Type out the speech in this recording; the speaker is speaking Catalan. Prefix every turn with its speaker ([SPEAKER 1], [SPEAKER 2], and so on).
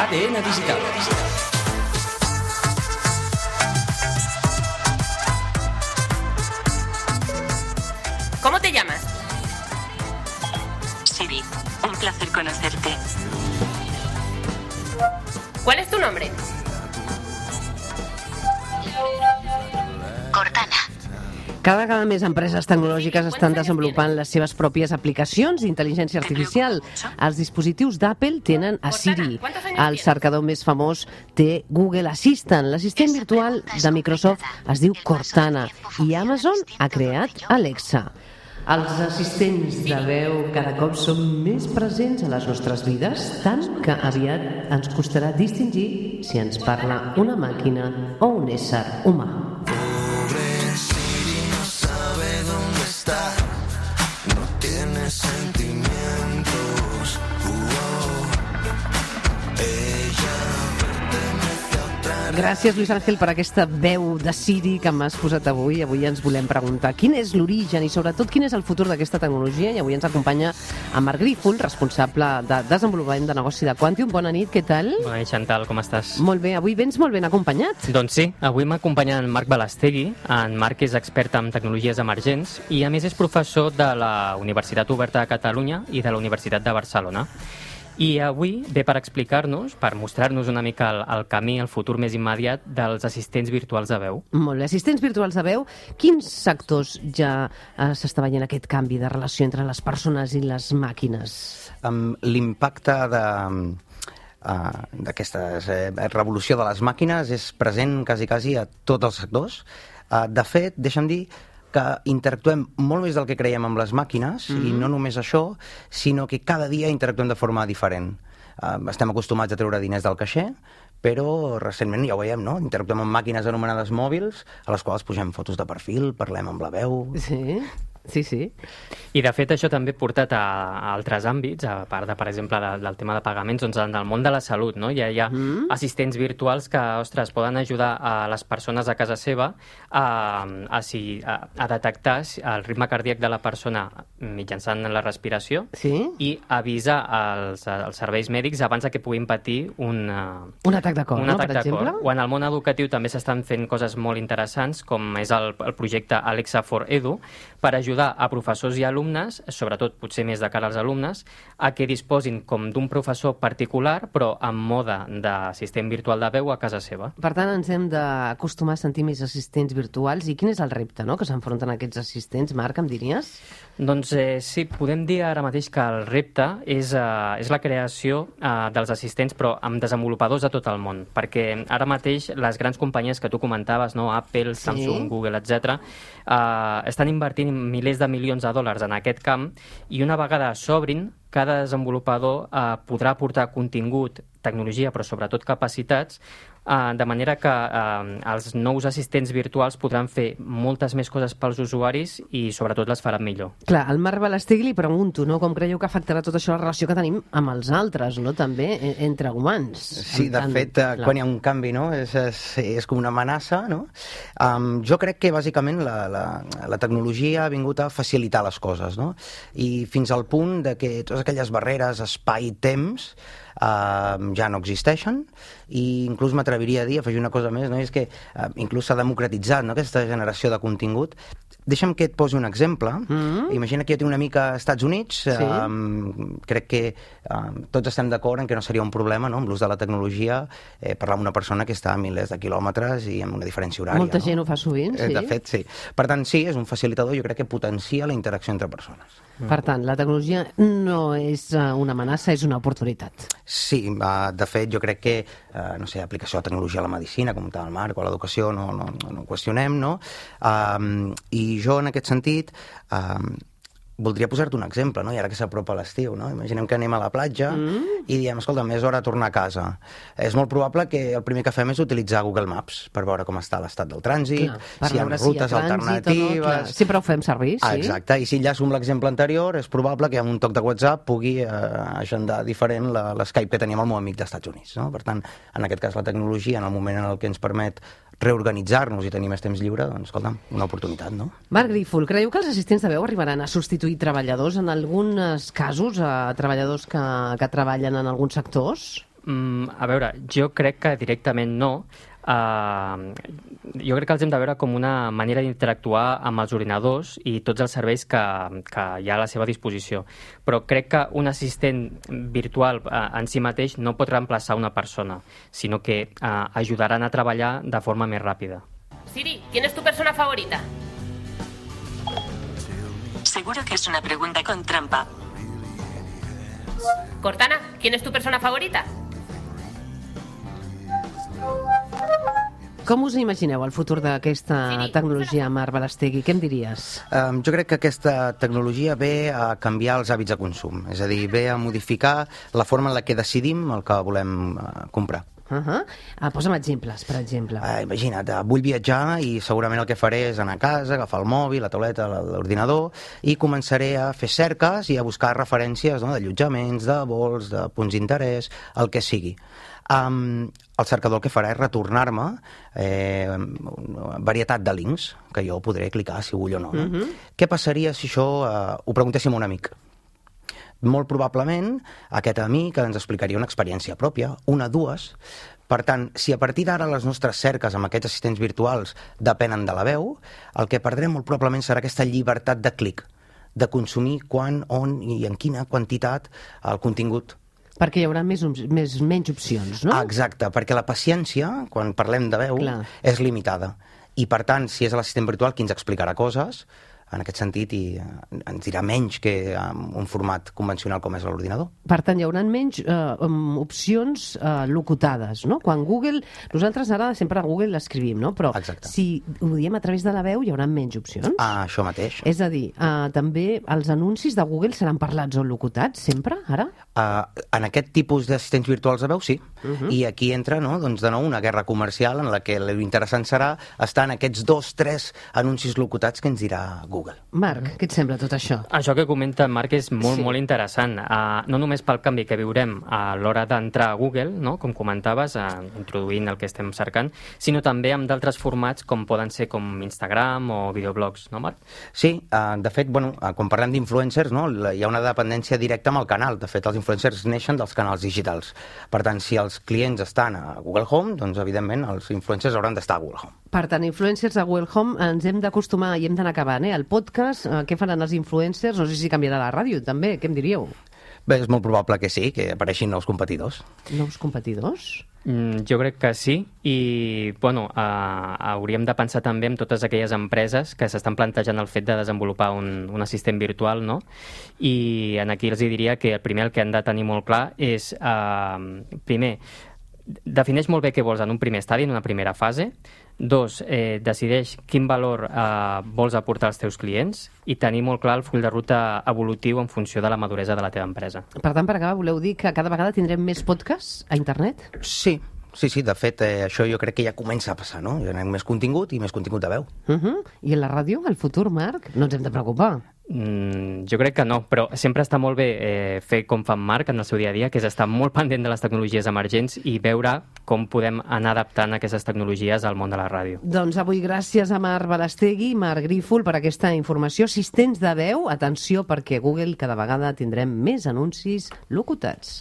[SPEAKER 1] ADN Digital.
[SPEAKER 2] ¿Cómo te llamas?
[SPEAKER 3] Siri, un placer conocerte.
[SPEAKER 2] ¿Cuál es tu nombre?
[SPEAKER 3] Cortana.
[SPEAKER 4] Cada vegada més empreses tecnològiques estan desenvolupant les seves pròpies aplicacions d'intel·ligència artificial. Els dispositius d'Apple tenen a Siri. El cercador més famós té Google Assistant. L'assistent virtual de Microsoft es diu Cortana i Amazon ha creat Alexa. Els assistents de veu cada cop són més presents a les nostres vides, tant que aviat ens costarà distingir si ens parla una màquina o un ésser humà. Gràcies, Luis Ángel, per aquesta veu de Siri que m'has posat avui. Avui ens volem preguntar quin és l'origen i, sobretot, quin és el futur d'aquesta tecnologia. I avui ens acompanya en Marc Grífol, responsable de desenvolupament de negoci de Quantium. Bona nit, què tal?
[SPEAKER 5] Bona nit, Chantal, com estàs?
[SPEAKER 4] Molt bé, avui vens molt ben acompanyat.
[SPEAKER 5] Doncs sí, avui m'acompanya en Marc Balastegui. En Marc és expert en tecnologies emergents i, a més, és professor de la Universitat Oberta de Catalunya i de la Universitat de Barcelona. I avui ve per explicar-nos, per mostrar-nos una mica el camí, el futur més immediat dels assistents virtuals de veu.
[SPEAKER 4] Molt bé, assistents virtuals de veu. Quins sectors ja s'està veient aquest canvi de relació entre les persones i les màquines?
[SPEAKER 6] L'impacte d'aquesta revolució de les màquines és present quasi a tots els sectors. De fet, deixa'm dir que interactuem molt més del que creiem amb les màquines, i no només això, sinó que cada dia interactuem de forma diferent. Estem acostumats a treure diners del caixer, però recentment ja ho veiem, no? Interactuem amb màquines anomenades mòbils, a les quals posem fotos de perfil, parlem amb la veu...
[SPEAKER 4] Sí.
[SPEAKER 5] I, de fet, això també ha portat a altres àmbits, a part, per exemple, del tema de pagaments, doncs en el món de la salut, no? Hi ha assistents virtuals que, ostres, poden ajudar a les persones a casa seva a detectar el ritme cardíac de la persona mitjançant la respiració i avisar els serveis mèdics abans que puguin patir un
[SPEAKER 4] atac de cor, per exemple?
[SPEAKER 5] O en el món educatiu també s'estan fent coses molt interessants, com és el projecte Alexa for Edu, per ajudar a professors i alumnes, sobretot potser més de cara als alumnes, a que disposin com d'un professor particular, però en mode d'assistent virtual de veu a casa seva.
[SPEAKER 4] Per tant, ens hem d'acostumar a sentir més assistents virtuals. I quin és el repte, no?, que s'enfronten aquests assistents? Marc, em diries?
[SPEAKER 5] Doncs sí, podem dir ara mateix que el repte és la creació dels assistents, però amb desenvolupadors de tot el món, perquè ara mateix les grans companyies que tu comentaves, no? Apple, Samsung, Google, etc., estan invertint milers de milions de dòlars en aquest camp, i una vegada s'obrin, cada desenvolupador podrà aportar contingut, tecnologia, però sobretot capacitats, de manera que els nous assistents virtuals podran fer moltes més coses pels usuaris i sobretot les faran millor.
[SPEAKER 4] Clar, al Marc Balastegui li pregunto, no?, com creieu que afectarà tot això la relació que tenim amb els altres, no?, també entre humans.
[SPEAKER 6] Sí, de fet, quan hi ha un canvi, no?, és com una amenaça, no? Jo crec que bàsicament la tecnologia ha vingut a facilitar les coses, no? I fins al punt de que totes aquelles barreres espai-temps ja no existeixen, i inclús m'atreviria a dir, afegir una cosa més, no? És que inclús s'ha democratitzat, no?, aquesta generació de contingut. Deixa'm que et posi un exemple. Imagina que jo tinc una amic als Estats Units. Crec que tots estem d'acord en que no seria un problema, no?, amb l'ús de la tecnologia, parlar amb una persona que està a milers de quilòmetres i amb una diferència horària.
[SPEAKER 4] Molta gent ho fa sovint, sí.
[SPEAKER 6] De fet, sí. Per tant, sí, és un facilitador, jo crec que potencia la interacció entre persones.
[SPEAKER 4] Per tant, la tecnologia no és una amenaça, és una oportunitat.
[SPEAKER 6] Sí, de fet, jo crec que, no sé, aplicació de tecnologia a la medicina, com tal, Marc, o a l'educació, no ho qüestionem, no? I jo, en aquest sentit, voldria posar-te un exemple, no? I ara que s'apropa l'estiu, no? Imaginem que anem a la platja i diem, escolta, és hora de tornar a casa. És molt probable que el primer que fem és utilitzar Google Maps per veure com està l'estat del trànsit, si hi ha rutes alternatives...
[SPEAKER 4] Sempre ho fem servir, sí.
[SPEAKER 6] Exacte, i si enllaço amb l'exemple anterior, és probable que amb un toc de WhatsApp pugui agendar diferent l'Skype que teníem al meu amic dels Estats Units, no? Per tant, en aquest cas, la tecnologia, en el moment en el que ens permet reorganitzar-nos i tenir més temps lliure, doncs, escolta'm, una oportunitat, no?
[SPEAKER 4] Marc Grífol, creieu que els assistents de veu arribaran a substituir treballadors, en alguns casos, treballadors que treballen en alguns sectors?
[SPEAKER 5] A veure, jo crec que directament no. Jo crec que els hem de veure com una manera d'interactuar amb els ordinadors i tots els serveis que hi ha a la seva disposició. Però crec que un assistent virtual en si mateix no pot reemplaçar una persona, sinó que ajudaran a treballar de forma més ràpida.
[SPEAKER 2] Siri, ¿quién es tu persona favorita?
[SPEAKER 3] Seguro que es una pregunta con trampa.
[SPEAKER 2] Cortana, ¿quién es tu persona favorita?
[SPEAKER 4] Com us imagineu el futur d'aquesta tecnologia, Marc Balastegui? Què em diries?
[SPEAKER 6] Jo crec que aquesta tecnologia ve a canviar els hàbits de consum, és a dir, ve a modificar la forma en la que decidim el que volem comprar.
[SPEAKER 4] Posa'm exemples, per exemple.
[SPEAKER 6] Imagina't, vull viatjar i segurament el que faré és anar a casa, agafar el mòbil, la tauleta, l'ordinador i començaré a fer cerques i a buscar referències d'allotjaments, de vols, de punts d'interès, el que sigui. El cercador el que farà és retornar-me varietat de links que jo podré clicar si vull o no. Què passaria si això ho preguntéssim a un amic? Molt probablement aquest amic ens explicaria una experiència pròpia, una, dues. Per tant, si a partir d'ara les nostres cerques amb aquests assistents virtuals depenen de la veu, el que perdrem molt probablement serà aquesta llibertat de clic, de consumir quan, on i en quina quantitat el contingut.
[SPEAKER 4] Perquè hi haurà menys opcions, no?
[SPEAKER 6] Exacte, perquè la paciència, quan parlem de veu, és limitada. I, per tant, si és l'assistent virtual qui ens explicarà coses, en aquest sentit, i ens dirà menys que en un format convencional com és l'ordinador.
[SPEAKER 4] Per tant, hi haurà menys opcions locutades, no? Quan Google... Nosaltres ara sempre a Google l'escrivim, no? Però si ho diem a través de la veu, hi haurà menys opcions.
[SPEAKER 6] Això mateix.
[SPEAKER 4] És a dir, també els anuncis de Google seran parlats o locutats, sempre, ara?
[SPEAKER 6] En aquest tipus d'assistents virtuals de veu, sí. I aquí entra, doncs, de nou, una guerra comercial en la que l'interessant serà estar en aquests 2, 3 anuncis locutats que ens dirà Google.
[SPEAKER 4] Marc, què et sembla tot això?
[SPEAKER 5] Això que comenta Marc és molt interessant. No només pel canvi que viurem a l'hora d'entrar a Google, no? Com comentaves, introduint el que estem cercant, sinó també amb d'altres formats com poden ser com Instagram o videoblogs, no, Marc?
[SPEAKER 6] Sí, de fet, quan parlem d'influencers, hi ha una dependència directa amb el canal. De fet, els influencers neixen dels canals digitals. Per tant, si els clients estan a Google Home, doncs, evidentment, els influencers hauran d'estar a Google Home.
[SPEAKER 4] Per tant, influencers a Google Home, ens hem d'acostumar i hem d'anar acabant, El podcast, què faran els influencers? No sé si canviarà la ràdio, també. Què em diríeu?
[SPEAKER 6] Bé, és molt probable que sí, que apareixin nous competidors.
[SPEAKER 4] Nous competidors?
[SPEAKER 5] Jo crec que sí, i hauríem de pensar també en totes aquelles empreses que s'estan plantejant el fet de desenvolupar un assistent virtual, no? I aquí els diria que el primer que han de tenir molt clar és, primer, defineix molt bé què vols en un primer estadi, en una primera fase. 2, decideix quin valor vols aportar als teus clients i tenir molt clar el full de ruta evolutiu en funció de la maduresa de la teva empresa.
[SPEAKER 4] Per tant, per acabar, voleu dir que cada vegada tindrem més podcasts a internet?
[SPEAKER 6] Sí, de fet, això jo crec que ja comença a passar, no? Hi ha més contingut i més contingut de veu.
[SPEAKER 4] I en la ràdio, el futur, Marc? No ens hem de preocupar.
[SPEAKER 5] Jo crec que no, però sempre està molt bé fer com fa en Marc en el seu dia a dia, que és estar molt pendent de les tecnologies emergents i veure com podem anar adaptant aquestes tecnologies al món de la ràdio.
[SPEAKER 4] Doncs avui gràcies a Marc Balastegui, Marc Grífol, per aquesta informació. Assistents de veu, atenció, perquè Google cada vegada tindrem més anuncis locutats.